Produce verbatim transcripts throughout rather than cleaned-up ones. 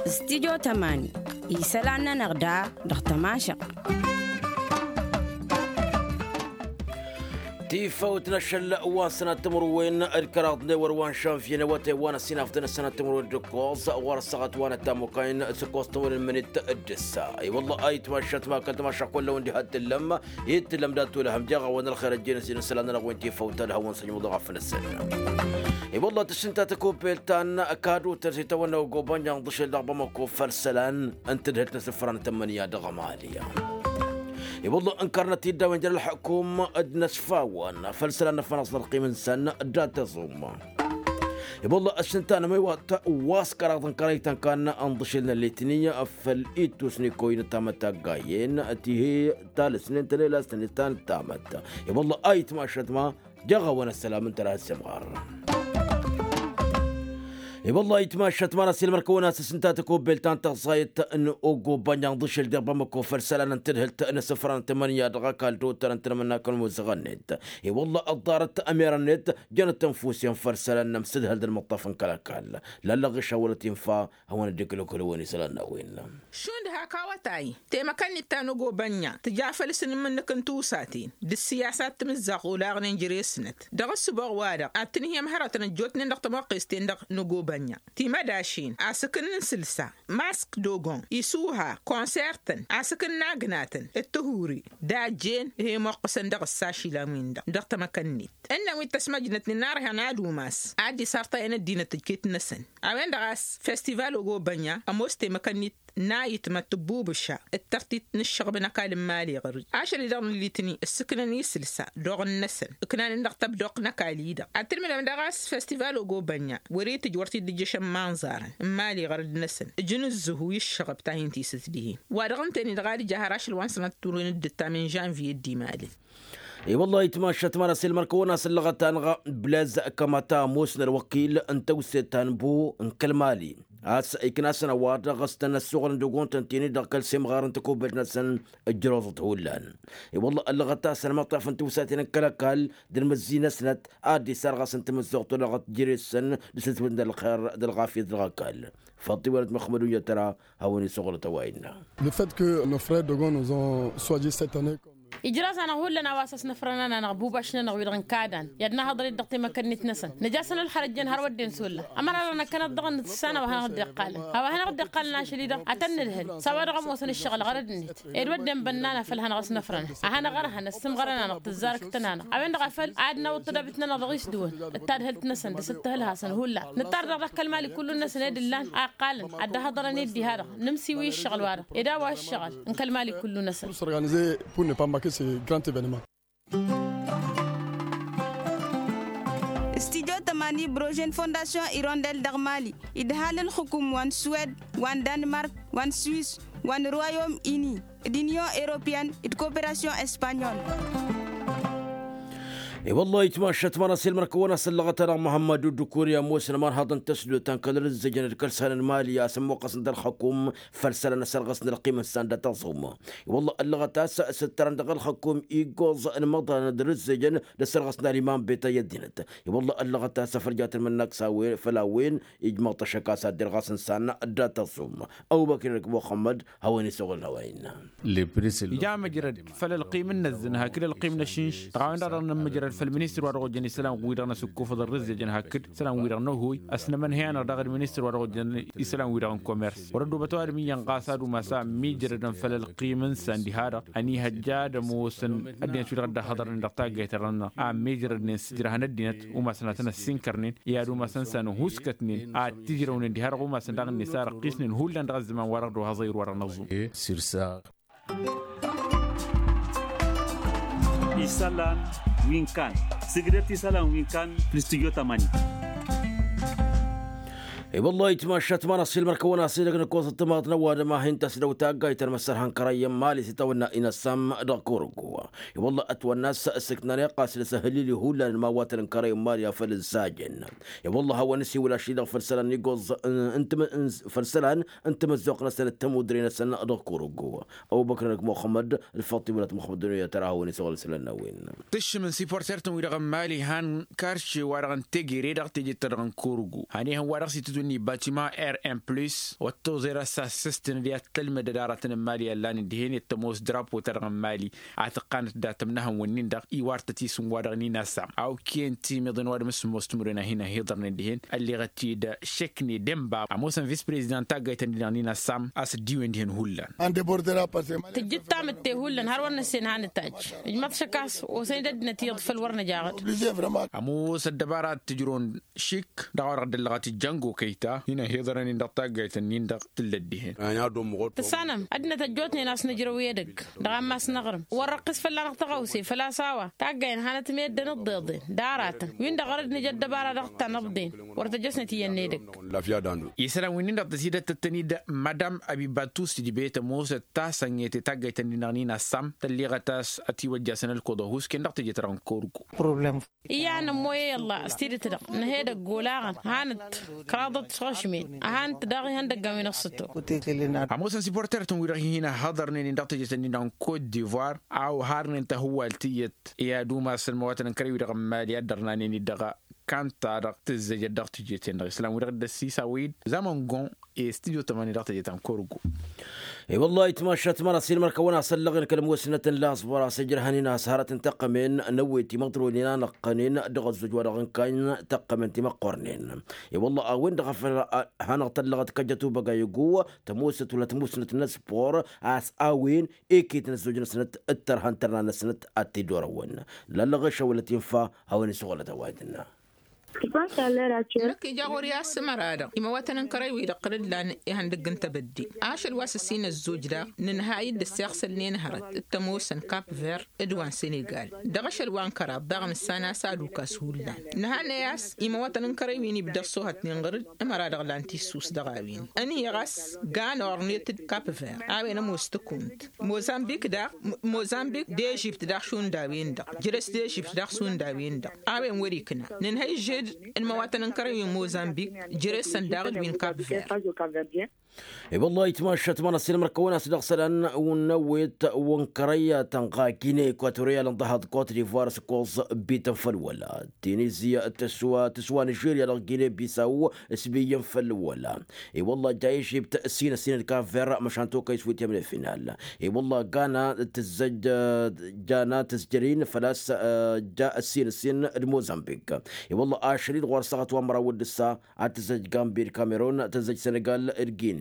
Studyo tămani isălan-nănăɣ da dăɣ-tămašăɣt. Tifăwt n-ašăl wa n-sănat timǝrwen d-kăraḍ n-ewăr wa n-žănvye n-awătay wa n-ăsinafdăn ăsănat timǝrwen d-ǝkkoẓ ɣur-ăssaɣăt wa n-ăttamukăyăn s-ǝkkoẓ timǝrwen n-imǝnit d-ǝssa. I-wălla a itmašăt ma kăl-tmašăɣ kull-a-wen diha t-tǝllăm i-t-tǝllăm dat-olăhăm jeɣ a-wen ălxer ăjjeen ăsinăsălan-nănăɣ wen tifăwt ad-hawăn-săjmǝḍ ɣaf năsăn. I-wălla tǝššǝnta tăkobelt ta n-kadutăn s-itawănna ogobănja n-ḍǝšel dăɣ-bamăko făll-isălan n-tadhǝlt n-asǝfran tămmănǝya dăɣ-mali. I-wălla ǝnkărnăt-dd a-wen jer-ălxukum d-inăsfawăn făll-isălan n-afănăẓ n-ălqim-năsăn dat-aẓum. I-wălla ăššǝnta n-ămăywat wa s-kăraḍ n-kărăytăn kan n-ḍǝšel n-ălletni făll-ittus n-ikoy n-ăttamăt taggayen tihe talǝsnen tănelasnen ta n-ăttamăt. I-wălla a itmašăt ma jeɣ a-wen ăssălam n-tărha s-imɣar. I-wălla a itmašăt ma n-asilmăr kăwăn-asǝs ǝnta tăkobelt ta n-tăẓẓayăt n-ogobănja n-ḍǝšel deɣ bamăko făll-isălan n-tadhǝlt n-asǝfran tămănǝya dăɣ-ăkall totăr n-tanămănna kăl-muzăɣ-net. I-wălla ăḍḍarăt ămerăn-net jănăt tănfusen făll-isălan n-amsǝdhăl d-ălmăṭṭaf n-kăl-ăkall lallăɣ išawălăt infa hawăn-dd-iklǝkǝl ăwwăn-isălan n-a-wen. Šund hak awătay temăkăn-dd ta n-ogobănja tǝja făll-asǝnmǝnnǝk n-tiwsaten d-ǝssiyasat timǝzzaɣ olaɣnen jere-snăt dăɣ-ǝssǝboɣ-wa-dăɣ ad-tǝnhǝyăm hărătăn ăjjootnen dăɣ-tămoqqes-ten-dăɣ n-ogobănja timădašen asǝkǝn n-sǝlsa mask dogon isuha konsertăn asǝkǝn n-agnatăn d-tihuri d-ajjen ih'-e imoqqǝsăn dăɣ-ǝssa ašilan-win-dăɣ dăɣ-temăkăn-net ǝnnăn wi t-ăsmăjnătnen n-arhăn ad-umas ad-dd-isartayăn ăddinăt tǝjket-năsăn. A-wen-dăɣ a-s festival ogobănja ămoos temăkăn-dd n-ayǝtmăt tǝbbubǝša d-tărtit n-ǝššăɣb n-ăkall n-imali ɣăr-dd ašăl-i-dăɣ n-ǝllitni ǝssǝknăn isǝlsa d-oɣǝn-năsăn ǝknanen dăɣ-tăbdoqt n-ăkall-i-dăɣ ad-tǝlmǝdăm daɣ a-s festival ogobănja wăr-itǝjj wăr t-dd-ǝjjăšăn imanẓarăn n-imali ɣăr-dd-năsăn ǝjǝn ǝzzǝhu i-ǝššăɣb ta hin-tisǝt dihen. Wa dăɣ-ǝnta-en-i-dăɣ ad-ǝja har ašăl wa n-sănat turwen d-ǝttam n-žănviye d-imalǝl. I-wăllah itmašăt măra s-ilmăr kăwăn-asǝllăɣăt-anăɣ blez kămăta ămoos n-ălwăkil n-tewset ta n-bu n-kăl-mali a-s ikna-săn ăwadǝɣ s-tăn-ăssuɣălăn d-ogontăn ti-ni-dăɣ kăl-semɣar n-takubelt-năsăn. Ǝjrăwăḍăt hullan i-wăllah ăllăɣăt-asăn măṭṭaf n-tiwsaten n-kăl-ăkall d-ălmǝzzi-năsnăt a dd-isarɣas n-tamǝzzuɣt olăɣăt jere-săn d-sǝtwǝn d-ălxer d-ălɣafyăt dăɣ-ăkall. Făṭṭimănăt măxmăd unyăt tăra hawăn-isăɣrăt ăwayǝnna. Le fait que nos frères dogon nous ont soigni cette année. Ijrăẓ-anăɣ hullan a-wa s-ăsnăfrăn-anăɣ bubaš-nănăɣ wi-dăɣ n-kadan i-ad-nahăḍăr-dd dăɣ-temăkănnit-năsăn. Nǝja-săn ălxărăt jăn har wădden s-ollan ămăra dăɣ-năkkăneḍ dăɣ-nǝssan a-wa hanăɣ-dd-iqqalăn a-wa hanăɣ-dd-iqqalăn ašăl-i-dăɣ ad-tăn-nǝdhǝl s-a-wa dăɣ-ămoosăn ǝššăɣǝl ɣărăd-net. Ed wădden bănna n-afăl hanăɣ-ăsnăfrăn ad-hanăɣ-ărhăn ăssǝmɣărăn-anăɣ tǝzzarăkt-tăn-anăɣ a-wen-dăɣ a făl ad-nawǝḍ tădabit-nănăɣ dăɣ-isdǝwăn d-tadhǝlt-năsăn d-asǝttǝhǝlhasăn hullan. Nǝttar dăɣ-dăɣ kăl-mali kullu-năsăn ed ǝllan a ǝqqalăn ad-dd-ăhhăḍărăn i-dd-iha-dăɣ nǝmsiwi ǝššăɣǝl-wa-dăɣ ed a-wa ǝššăɣǝl n-kăl-mali kullu-năsăn. S'organiser pour ne pas manquer ce grand événement. Studyo tămani brožen fondasyon irondel dăɣ-mali idhal ǝlxǝkum wa n-suwed wa n-danmark wa n-swis wa n-royom ini d-inyon europeyăn d-koperasyon espanyol. I-wăllah itmašăt măra s-ilmăr kăwăn-asǝllăɣăt-anăɣ muhămmăd uddukuri ămoosăn ămanhăḍ n-tăsdot ta n-kăl-rǝzzǝjăn d-kăl-săn n-mali a-s ămmuqqăsăn d-ălxăkum făll-isălan ăsărɣăsăn ălqim-năsăn dat-ăẓum. I-wăllah ăllăɣăt a-s s-ǝttărăn dăɣ-ălxăkum iggoẓ n-imăḍran d-rǝzzǝjăn d-ăsărɣăsăn aliman beta i-ăddinăt. I-wăllah ăllăɣăt a-s ăfrǝjat n-imǝnnak s-a-wen făll-a-wen ijmăḍ-t ašăk a-s ad-dd-irɣas n-isan dat-ăẓum. Ăbubăkr-i-năk muxămmăd hawăn-isăɣǝl n-a-wa innă. Ija măjrăd făll-ălqim n-inăzzăn hakd ălqim n-ašǝnš dăɣ-a-wen-dăɣ dăɣ-nămmăjrăd făll-ministăr wa dăɣ-ojăn isălan-wi-dăɣ n-asǝkkofăḍ ărrǝzzejăn hakd isălan-wi-dăɣ n-ohoy. Ăsnămănhăy-anăɣ daɣ d-ministăr wa dăɣ-ojăn isălan-wi-dăɣ n-komers wăr-ăddobăt ăwadǝm iyyăn ɣas ad-umas a ămmiijrădăn făll-ălqim n-isan diha-dăɣ ănihăjja ad-ămoosăn ăddinăt wi-dăɣ dd-ăhhăḍărnen dăɣ-taggayt-ta-dăɣ-nănăɣ a ămmiijrădnen s-ǝjrăhăn ăddinăt umasăn ad-tăn-ăssinkărnen i-ad-umasăn s-anǝhuskătnen ad-t-ǝjrăwnen diha-dăɣ umasăn daɣ-net a răqqisnen hullan dăɣ-ăzzăman wa-dăɣ d-ohăẓăyăr wa-dăɣ n-ăẓum. Isălan wi n-kan sǝgdăt isălan wi n-kan. Făll-studyo tămani. I-wălla itmašat ma n-asilmăr kăwăn-asidăg n-ǝkkoẓăt timaḍ n-ăwadǝm a hin-tăsdăw taggayt ta n-imǝssărhan kărăyyăn mali s-itawănna inăssam dăɣ-kurǝggu. I-wălla ătwănna a-s sǝknăn iqqas d-asăhǝllili hullan n-imawatăn n-kărăyyăn mali a făl ǝzzajăn. I-wălla a hawăn-ăsiwǝl ašli-dăɣ făll-isălan n-iggoẓ n-timǝzzuɣt-năsăn d-tămudre-năsăn dăɣ-kurǝggu. Ăbubăkr-năk muxămmăd, ălfăṭṭi wăla t-muxămmăd d-dunya tăra a hawăn-isăɣăl isălan n-a-wen. Tǝššǝm n-siporter-tăn-wi-dăɣ n-mali han karše wa-dăɣ n-tegere dăɣ-teje-ta-dăɣ n-kurǝggu. Hanihăn wa-dăɣ s-itǝtwǝnni batima r un plus wa t-toẓer a-s assăstăn d-i ad-tălmădăd aratăn n-mali a ǝllan-dd dihen i-ad-tămoos drapo-ta-dăɣ n-mali. A tǝqqanăt datăm n-ehăn wǝnnin-dăɣ iwar-tăt isǝm wa-dăɣ n-inassam a okăyăn timiḍăn wa dăɣ-mǝssǝmmos timǝrwen a hin-ăhiḍărnen dihen. Ălleɣăt-dd šekne d-enba ămoosăn vis-prezidant taggayt-ănnin-dăɣ n-inassam a-s ăddiwen dihen hullan. Tǝjjǝt tamǝtte hullan har wăr năssen hanăt-ajj. Ǝjmăḍ šăk a-s osăn-dd ăddinăt iyyăḍ făll-wăr năjaɣ-dd. Ămoos ăddăbara ad-tǝjrǝwăn šik dăɣ-a-wa dăɣ-dd-ăllăɣăt ǝjjăngo kăyta hin-ăhiḍărăn-in dăɣ-taggayt-nin-dăɣ tǝllăt dihen. Tǝssanăm ăddinăt ăjjootnen a-s nǝjrăw i-edăgg dăɣ-ammas n-aɣrǝm wăr-răqqis fălla-năɣ tăɣawse făl-a-s a-wa taggayen hanăt-meddǝn ǝḍḍeḍen d-aratăn win-dăɣ wăr dd-nǝj ăddăbara dăɣ-tanăḍḍen. Wăr tăjăsnăt iyyăn n-edăgg. Isălan wi-nin-dăɣ tăsidăt tăttăn-dd madam abibatus tijbet ămoosăt tasănget i-taggayt-nin-dăɣ n-inassam tălleɣăt a-s ătiwăjjasăn ălkuḍăhus ken dăɣ-teje-ta-dăɣ n-kurǝgu. Iyyăn ămmoy i-ălla s-tidǝt-dăɣ nǝha edăgg olaɣăn hanăt kăraḍăt s-ɣăšmen. Ăhant daɣ ihăndăggan wi n-ăṣṣǝto. Ămoosăn siporter-tăn wi-dăɣ hin-ăhhăḍărnen-in dăɣ-teje-tăn-in-dăɣ n-kot divoir a oharnen tahǝwwalt iyyăt i-ad-umas n-imăwatăn n-kărăy-wi-dăɣ n-mali a dd-ărnanen-dd dăɣ-kanta-dăɣ tǝzzejăt dăɣ-teje-ten-dăɣ isălan-wi-dăɣ dd-ăssisaw-dd zamăngon. I-studio tămani dăɣ-teje ta n-kurǝggu. I-wăllah itmašat măra s-ilmăr kăwăn-asăllăɣen kăl-musnăt n-laẓbăr a-s ijrăhăn-in a-s hărăt n-tăqqămen n-ewet imăḍrăwen-in a năqqănen dăɣ-ăzzoj wa dăɣ-ǝnkan tăqqămen timăqqornen. I-wăllah a-wen dăɣ-a făl hanăɣ-tăllăɣăt kăjăt ubăgay ăgg-u tămusăt wăla tămusnăt n-aspor a-s a-wen iket n-ăzzoj-năsnăt d-tărha n-tărna-năsnăt ad-t-dd-orăwăn. Lallăɣ-ešăwălăt infa hawăn-isuɣălăt ăwadǝnna. Năkk ija ɣur-i a-s ămăra-dăɣ imăwatăn n-kărăy-wi-dăɣ tăr-dd lan ihăndăgg n-tebădde ašăl wa s-ǝssin ăzzoj daɣ nǝnhăy-dd ăssiɣsălnen hărăt d-tămoosăn kap ver d-wa n-senegal. Dăɣ-ašăl wa n-kăraḍ daɣ nǝssan a-s ad-ukas hullan nǝhannăy a-s imăwatăn n-kărăy wi n-ibda ăṣṣoohătnen ɣǝr-dd ămăra-dăɣ lan tissus dăɣ-a-wen. Ănhǝyăɣ a-s gan ornet-dd kap ver a-wen ămoos tăkunt mozambik daɣ mozambik d-ežipt daɣ šund a-wen-dăɣ jere-s d-ežipt daɣ šund a-wen-dăɣ a-wen wăr-ikna nǝnhăy žed n-imăwatăn n-kărăy wi n-mozambik jere-săn daɣ d-wi n-kap ver. I-wăllah itmašat măra s-ilmăr kăwăn-as dăɣ-isălan n-ewet wa n-kărăy tănɣa gine ekuatoriyal n-dăhaḍ kot divoir s-ǝkkoẓ bităn făll-wăla tinizi tǝswa tǝswa nižerya dăɣ-gine bisaw s-biyyăn făll-wăla. I-wălla ja ežipt ǝssin ǝssin d-kap ver măšan tokăy s-wităm n-efinal. I-wălla gana tǝzzăj jana tǝzjăr-in făl-a-s ja ǝssin ǝssin d-mozambik. I-wălla ašăl-dd ɣur-săɣăt wa n-măraw d-ǝssa ad-tǝzzăj gambi d-kamerun tǝzzăj senegal d-gine.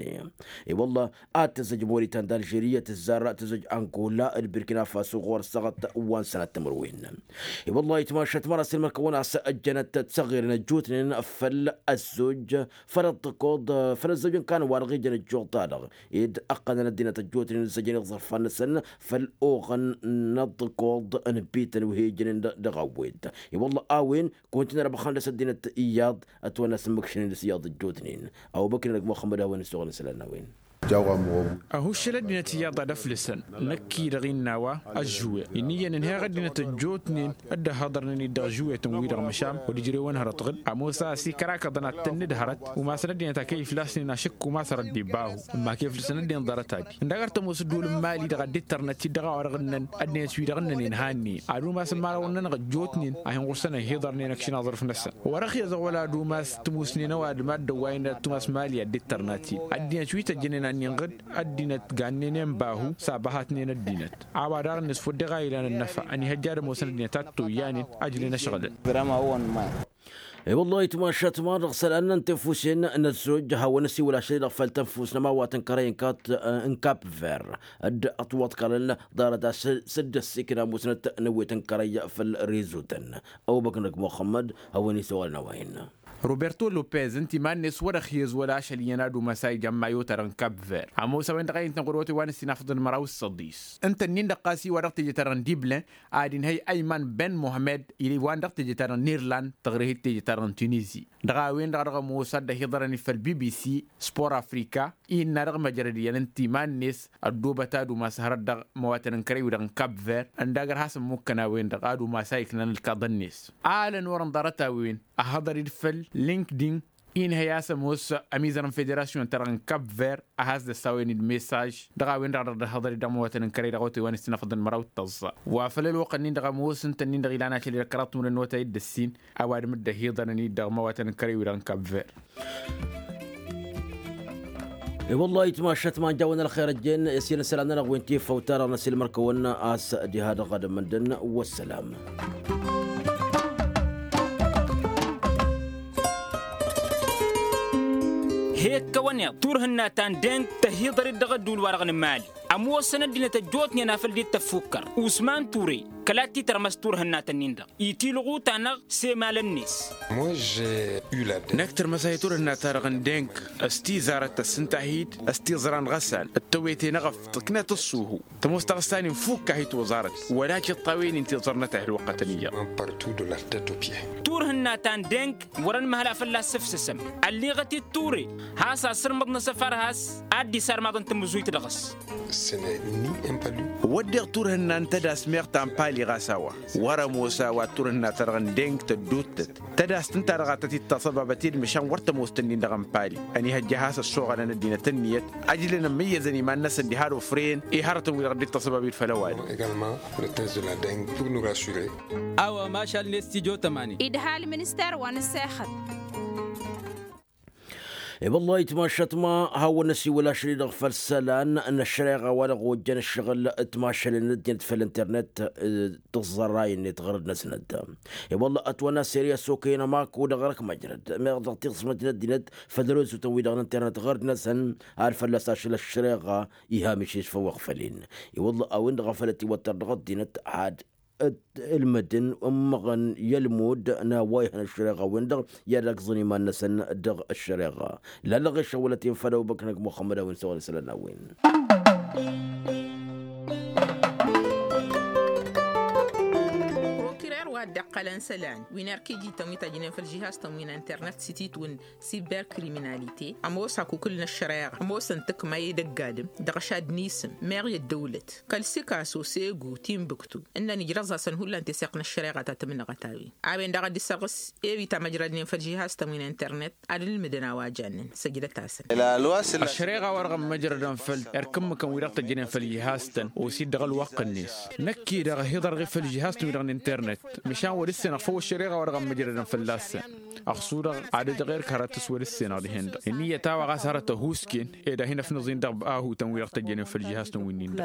I-wălla ad-tǝzzăj moritan d-alžeriya tǝzzar tǝzzăj angola d-birkina faso ɣur-săɣăt wa n-sănăt timǝrwen. I-wălla itmašat măra s-ilmăr kăwăn-as ăjjănăt tăɣiren ăjjootnen făll-ăzzoj făll-ăḍḍăkoḍ făll-ăzzoj n-kan wa dăɣ-ijăn ăjjoḍ-ta-dăɣ ed ăqqănăn ăddinăt ăjjootnen ǝzzăjăn iẓărfan-năsăn făll-oɣăn n-ăḍḍăkoḍ n-bităn wi hi-ijănen dăɣ-awet. I-wălla a-wen kăwăn-t-in-ărbăxăn dăɣ-s ăddinăt iyyăḍ ătwănna s-ǝmmǝkšnen dăɣ-s iyyăḍ ăjjootnen. Ăbubăkr-năk muxămmăd a-wen ǝssoɣăn isălan n-a-wen. Ăhuššăl ăddinăt iyyăḍ ad-ăflǝsăn năkk-i-dăɣ innă a-wa ăžžuwe inn'-iyyăn ǝnhăyăɣ ăddinăt ăjjootnen dd-ăhhăḍărnen-dd dăɣ-žuwetăn-wi-dăɣ măšan wăr ǝjrewăn hărăt ɣǝd ămoos a-s ikărakăḍăn ad-tăn-nǝdhărăt umasăn ăddinăt a kăy-iflasnen ašǝkk umas rădd ibahu ǝmma kăy-iflǝsăn ăddinăt ḍarăt-adi. Ǝnda a găr tămoos ǝddul n-mali-dăɣ ad-dd-ittărnăt-dd dăɣ-a-wa-dăɣ ǝnnăn ăddinăt-wi-dăɣ ǝnnănen hanni ad-umasăn imărawăn-nănăɣ ăjjootnen a hin-ɣur-săn ăhiḍărnen ăkšin aẓrǝf-năsăn. Wăr-ăxyăẓăɣ wăla ad-umas tǝmusnen ăwadǝm ad-dăwwaynen ad-tumas mali ad-dd-ittărnăt-dd ăddinăt wi tăjjănen annin-ɣǝd ăddinăt gannen enbahu s-abăhatnen ăddinăt. A-wa daɣ-net făw dd-iɣa ilan ănnăfa ănihăjja ad-ămoosăn ăddinăt ad-toyyanen ajlen ăšɣǝlăn. I-wăllah itmašat măra dăɣ-isălan n-tinfusen n-ăzzoj hawăn-ăsiwǝl ašăl-i-dăɣ făll-tănfus n-ămawat n-kărăy n-kap ver dd-ătwăḍkălăn ḍarăt a-s dd-ăssikna musnăt n-ewet n-kărăy făll-rizutăn. Ăbubăkr-năk muxămmăd hawăn-isăwălăn a-wa innă. Roberto lopez ǝnta iman-net wăr-ăxyăz wăla ašăl iyyăn ad-umas a ija n-mayo-ta-dăɣ n-kap ver ămoos a-wen-dăɣ a intăn ɣur-wătay wa n-ǝssin afḍăn măraw s-săḍis. Ǝnta-nin-dăɣ ɣas iwa dăɣ-teje-ta-dăɣ n-diblen ad-inhăy ayman ben muhămmed iwan dăɣ-teje-ta-dăɣ n-irland tăɣrihăy d-teje-ta-dăɣ n-tunizi. Dăɣ-a-wen-dăɣ a dăɣ-ămoos ad-dd-ăhiḍărăn-dd făll-bbc sport afrika innă dăɣ-măjrăd iyyăn ǝnta iman-net ăddoobăt ad-umas hărăt dăɣ-măwatăn n-kărăy-wi-dăɣ n-kap ver ǝnda gărhas ǝmmukăn a-wen-dăɣ ad-umas a iknăn ǝlkaḍăn-net. Alăn wăr-ǝnḍarăt a-wen ăhhăḍăr-dd făll-linkdin inhăy a-s ămoos ămizăr n-federasyon-ta-dăɣ n-kap ver a has-dd-ăssawen-dd mesaj dăɣ-a-wen-dăɣ a dăɣ-dd-ăhhăḍăr-dd ămăwatăn n-kărăy dăɣ-otay wa n-ǝssin afăḍăn măraw d-tăẓẓa wa făll-ălwăqq-nin-dăɣ ămoos ǝnta-nin-dăɣ ilan ašăl-i-dăɣ kăraḍ timǝrăn n-otay d-ǝssin. Ăwadǝm dd-ăhiḍărăn-dd dăɣ-măwatăn n-kărăy-wi-dăɣ n-kap ver. E-wăllah itmašat ma n-jawăn ălxer ăjjeen i-s i-nǝsălan-nănăɣ wi n-tifăwt-ta-dăɣ n-asilmăr-kăwăn a-s diha dăɣ-adǝm ǝndăn. Wăssălam. He-ǝkkăwăn iḍ turhǝnna ta n-deng tăhiḍăr-dd dăɣ-ădduul-wa-dăɣ n-mali ămoosăn ăddinăt ăjjootnen afăl dd-tăffukkăr usman ture. Kăla t-titărmăs turhǝnnatăn-in-dăɣ itilɣu-ta-năɣ s-emalăn-net. Năkk tărmăsay turhǝnna-ta-dăɣ n-deng s-tizarăt tăssǝnta-hi-dd s-tiẓra n-ɣăsan d-tăwete n-eɣăf tǝknăt ǝṣṣuhu. Tămoos taɣǝssan-in fukk-ahi toẓarăt wăla tiṭṭawen-in ti ẓărnăt a hi-ălwăqqătăn iyyăḍ. Turhǝnna ta n-deng wăr-ănmăhăl a fălla-s ǝfsǝsăm. Ălliɣăt-dd ture has-asǝrmǝḍ n-asăfar has-ad-dd-isarmaḍăn tamǝzuyt dăɣ-s. Wădden turhǝnna n-tădas meɣ ta n-pali ɣas a-wa wăr-ămoos a-wa turhǝnna-ta-dăɣ n-deng tădduuttăt. Tădast ǝnta-dăɣ a tăt-dd-taṣăbabăt i-dd măšan wăr tămoos-tăn-in-dăɣ n-pali. Ănihăjja a has-ăssoɣălăn ăddinăt ǝnniyăt ăjlăn ămmǝyyăzăn iman-năsăn diha d-ofrăyăn i-hărătăn-wi-dăɣ dd-taṣăbab i-dd făll-ăwadǝm. A-wa mašal-net tijo tămani. Idha ălminister wa n-ǝssexăt. I-wăllah itmašat ma hawăn-năsiwǝl ašăl-i-dăɣ făll-isălan n-ăššăreɣa wa dăɣ-ojjăn ǝššăɣǝl timašalen n-ăddinăt făll-internet. Tǝẓẓărrayăn-net ɣărăd-năsnăt. I-wăllah ătwănna seri ăssokăyăn ămaku dăɣ-răk măjrăd meɣ dăɣ-tiɣsmăt n-ăddinăt făll-rezutăn-wi-dăɣ n-internet ɣărăd-năsăn ad-fălla-s ašăl ăššăreɣa. Iha mišeš făw iɣfăl-in. I-wăllah a-wen-dăɣ a făl ătiwăttăr dăɣ-ăddinăt ad-ǝlmǝdăn ǝmmăɣăn i-ălmud n-a-wa ihăn ăššăreɣa-wen-dăɣ i-ad-ăgẓăn iman-năsăn. Dăɣ-ăššăreɣa lallăɣ i-šăwălăt-in făll-ăbubăknăg muxămmăd a-wen s-a-wa n-isălan n-a-wen. Prokirer wa dd-iqqălăn isălan wi n-erk iji-tăn wi tăjjnen făll-žihaz-tăn wi n-internet s-ititwǝn siberkriminalite ămoos akukǝl n-ăššăreɣa ămoosăn tǝkma i-dăgg-adǝm dăɣ-ašad n-isǝm meɣ i-ăddăwlăt kăl-sikaso segu timbuktu ǝnnăn ijrăẓ-asăn hullan teseɣt n-ăššăreɣa ta tǝmnăɣăt a-wen. A-wen-dăɣ a dd-issărɣǝs ewi tamăjradnen făll-žihaz-tăn wi n-internet ad-ǝlmǝdăn a-wa jannen săjdăt-asăn. Ăššăreɣa-wa-dăɣ ămmăjrădăn făll-erk ǝmmǝkăn wi-dăɣ tăjjănen făll-žihaz-tăn osid dăɣ-ălwăqq-net. Năkk-i-dăɣ ăhiḍărɣ-i făll-žihaz-tăn wi-dăɣ n-internet măšan wăr-ǝssenăɣ făw ăššăreɣa-wa-dăɣ ămmăjrădăn fălla-săn. Ăɣsurăɣ ad-ǝdɣer kărattǝs wăr-ǝssenăɣ dihen-dăɣ ǝnniyăt a-wa ɣas hărăt ăhuusken ed ad-hin-ăfnăẓin dăɣ-ahutăn wi-dăɣ tăjjănen făll-žihaz-tăn wi-nin-dăɣ.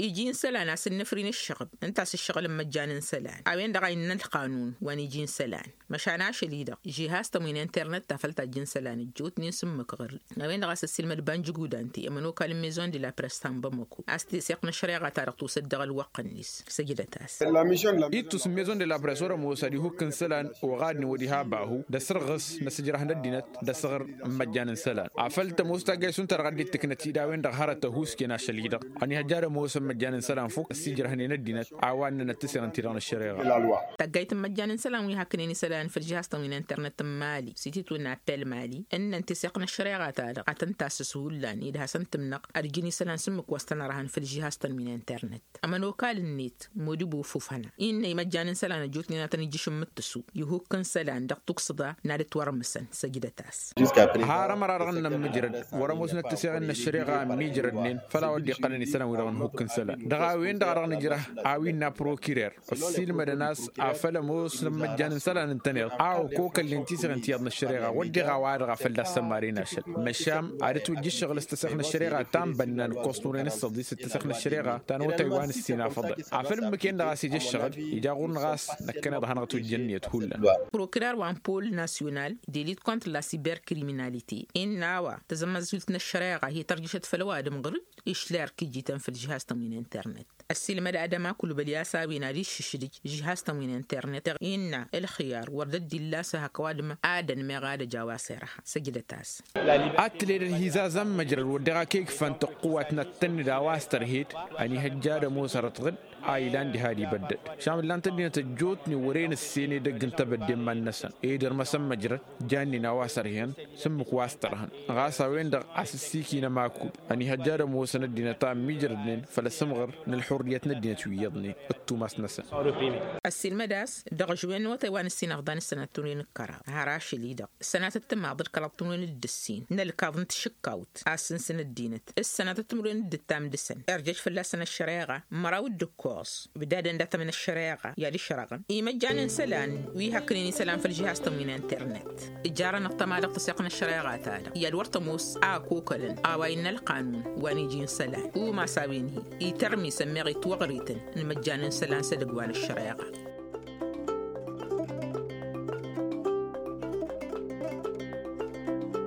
Iji n-isălan a-s ǝnnǝfrin ǝššăɣǝb ǝnta a-s ǝššăɣǝl n-imăjjan n-isălan a-wen-dăɣ a innă ălqanun wa n-iji n-isălan. Măšan ašăl-i-dăɣ žihaz-tăn wi n-internet ta făll-tajj n-isălan ăjjootnen s-ǝmmǝk ɣǝr-i. A-wen-dăɣ a-s ăssiilmăd banjǝgudante ămănokal n-maison de la press ta n-bamăko a-s teseɣt n-ăššăreɣa-ta-dăɣ tusăt dăɣ-ălwăqq-net. Săjdăt-as. Ittus n-maison de la press wăr-ămoos ad-ihukk n-isălan oɣadnen wăr-iha bahu d-asărɣǝs n-asǝjrăh n-ăddinăt d-asăɣr n-imăjjan n-isălan. Afăl tămoos taggayt šund ta dăɣ-ăddin tǝknăt-dd a-wen-dăɣ hărăt ăhuusken ašăl-i-dăɣ ănihăjja ad-ămoos n-imăjjan n-isălan fukk ăssiijrăhnen ăddinăt a-wa ǝnnănăt tǝseɣ ǝnta-i-dăɣ n-ăššăreɣa. Taggayt n-imăjjan n-isălan wi haknen isălan făll-žihaz-tăn wi n-internet n-mali s-ititwǝnna appel mali ǝnnăn teseɣt n-ăššăreɣa-ta-dăɣ ad-tăn-tasǝs hullan ed hasăn-tǝmnăɣ ad-ǝjǝn isălan s-ǝmmǝk wa s-tăn-ărhăn făll-žihaz-tăn wi n-internet. Ămănokal-net modibo fufăna innă imăjjan n-isălan ăjjootnen ad-tăn-ijjǝš n-imǝttǝsu ihukk n-isălan dăɣ-tuksǝḍa n-ad-ǝtwărmǝsăn. Săjdăt-as. Har ămăra-dăɣ ǝnnăn mǝjrăd wăr-ămoosnăt tǝseɣen n-ăššăreɣa ămmiijrădnen făll-a-wa dd-iqqălăn isălan-wi-dăɣ n-ihukk n-isălan. Dăɣ-a-wen-dăɣ a dăɣ-nǝjrăh a-wa innă prokirer ăssiilmădăn a-s afăl ămoos n-imăjjan n-isălan ǝntăneḍ a okokălnen tiseɣen ti iyyăḍ n-ăššăreɣa wădden a-wa-dăɣ a fălla-s ămaren ašăl. Măšan ad-ǝtwǝjja ǝššăɣǝl s-tăseɣt n-ăššăreɣa ta n-bănna nǝkkos nuren s-săḍis d-tăseɣt n-ăššăreɣa ta n-otay wa n-ǝssin afăḍăn. Afăl ǝmmǝk-en-dăɣ a-s ija ǝššăɣǝl ija ɣur-năɣ a-s năkkăneḍ ad-hanăɣ-ǝtwǝjja ǝnniyăt hullan. Prokirer wa n-pol nasyonal de lit kontr la siberkriminalite innă a-wa tăzămmăzult n-ăššăreɣa hi-tărjǝšăt făll-ăwadǝm ɣǝr-dd išla erk iji-tăn făll-žihaz-tăn wi n-internet. Ăssiilmăd adăma kulbăl i-a-s a-wen ad-iššǝšdǝj žihaz-tăn wi n-internet-dăɣ innă ǝlxǝyar wăr dd-illa a-s hak ăwadǝm ad-ănmeɣ ad-ăj a-wa s-irha. Săjdăt-as. Ad-tǝled ălhizaz ămmăjrăd wăr dăɣ-ak egfan tăqqǝwat n-ad-tănnǝd a-wa s-tărhed. Ănihăjja ad-ămoos ărăt ɣǝd a ilan diha d-ibăddăd šam ǝllan-t ăddinăt ăjjootnen wăren ǝssen edăgg n-tebădde n-iman-năsăn ed irmăsăn măjrăd. Jannen a-wa s-ărhen s-ǝmmǝk wa s-tărhăn ɣas a-wen-dăɣ a-s ǝssikinăm akul. Ănihăjja ad-ămoosăn ăddinăt a ǝmmijrădnen făll-asǝmɣăr n-ălxurriyăt n-ăddinăt wi iyyăḍnen d-tumas-năsăn. Ăssiilmăd a-s dăɣ-ažwen n-awătay wa n-ǝssin ăfḍan s-sănatăt timǝrwen d-kăraḍ har ašăl-i-dăɣ sănatăt timaḍ d-kăraḍ timǝrwen d-ǝssin n-ălkaḍ n-tašǝkkawt a ǝssǝnsǝn ăddinăt s-sănatăt timǝrwen d-ǝttam dăɣ-săn irjăj fălla-săn ăššăreɣa. Măraw d-ǝkkoẓ ǝbdadăn dat-ămǝn ăššăreɣa i-ad-ǝšrăɣăn imăjjan n-isălan wi hakkǝnen isălan făll-žihaz-tăn wi n-internet. Ǝjarăn ăṭṭăma dăɣ-tăseɣt n-ăššăreɣa-ta-dăɣ i-ad-wăr tămoos a ăkokălăn a-wa innă ălqanun wa n-iji n-isălan umas a-wen-hi itărmis ămmeɣ itwăɣrităn n-imăjjan n-isălan s-edăgg wa n-ăššăreɣa.